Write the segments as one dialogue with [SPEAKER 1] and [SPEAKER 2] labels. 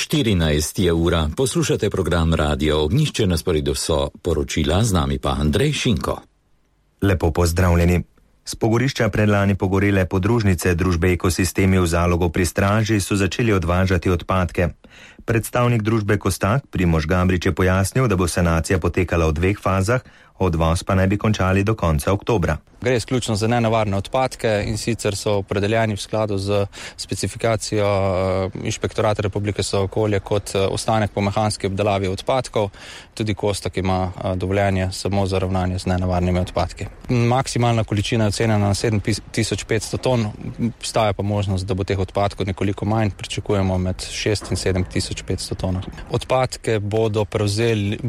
[SPEAKER 1] 14 je ura, poslušate program Radio Ognjišče, na sporedu so poročila, z nami pa Andrej Šinko.
[SPEAKER 2] Lepo pozdravljeni. S pogorišča predlani pogorele podružnice družbe Ekosistemi v Zalogu pri Straži so začeli odvažati odpadke. Predstavnik družbe Kostak Primož Gabrič je pojasnil, da bo sanacija potekala v 2 fazah, odvoz pa naj bi končali do konca oktobra.
[SPEAKER 3] Gre izključno za nenevarne odpadke in sicer so opredeljeni v skladu z specifikacijo Inšpektorata Republike za okolje kot ostanek po mehanski obdelavi odpadkov. Tudi Kostak ima dovoljenje samo za ravnanje z nenevarnimi odpadki. Maksimalna količina je ocenjena na 7500 ton, obstaja pa možnost, da bo teh odpadkov nekoliko manj, pričakujemo med 6 in 7500 ton. Odpadke bo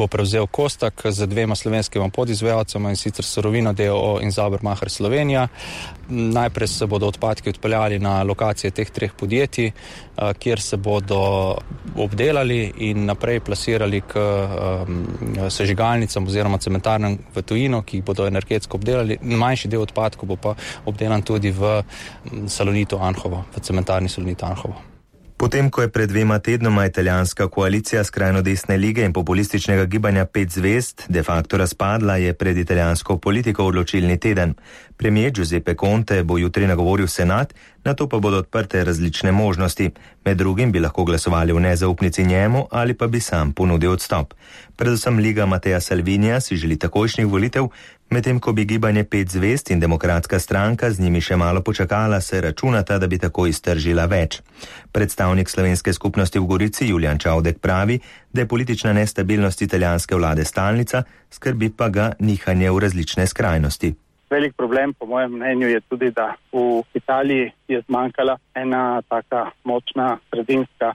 [SPEAKER 3] prevzel Kostak z 2 slovenskima podizvajalcema, in sicer Surovino d.o.o. in Zabermacher Slovenija. Najprej se bodo odpadki odpeljali na lokacije teh 3 podjetij, kjer se bodo obdelali in naprej plasirali k sežigalnicam oziroma cementarnam v tujino, ki jih bodo energetsko obdelali. Manjši del odpadkov bo pa obdelan tudi v Salonitu Anhovo, v cementarni Salonitu Anhovo.
[SPEAKER 2] Potem, ko je pred 2 tednoma italijanska koalicija skrajno desne lige in populističnega gibanja 5 zvezd de facto razpadla, je pred italijansko politiko odločilni teden. Premier Giuseppe Conte bo jutri nagovoril senat, nato pa bodo odprte različne možnosti. Med drugim bi lahko glasovali v nezaupnici njemu ali pa bi sam ponudil odstop. Predvsem Liga Mattea Salvinija si želi takojšnjih volitev, medtem ko bi gibanje 5 zvezd in demokratska stranka z njimi še malo počakala, se računata, da bi tako iztržila več. Predstavnik slovenske skupnosti v Gorici Julijan Čavdek pravi, da je politična nestabilnost italijanske vlade stalnica, skrbi pa ga nihanje v različne skrajnosti.
[SPEAKER 4] Velik problem, po mojem mnenju, je tudi, da v Italiji je zmanjkala ena taka močna sredinska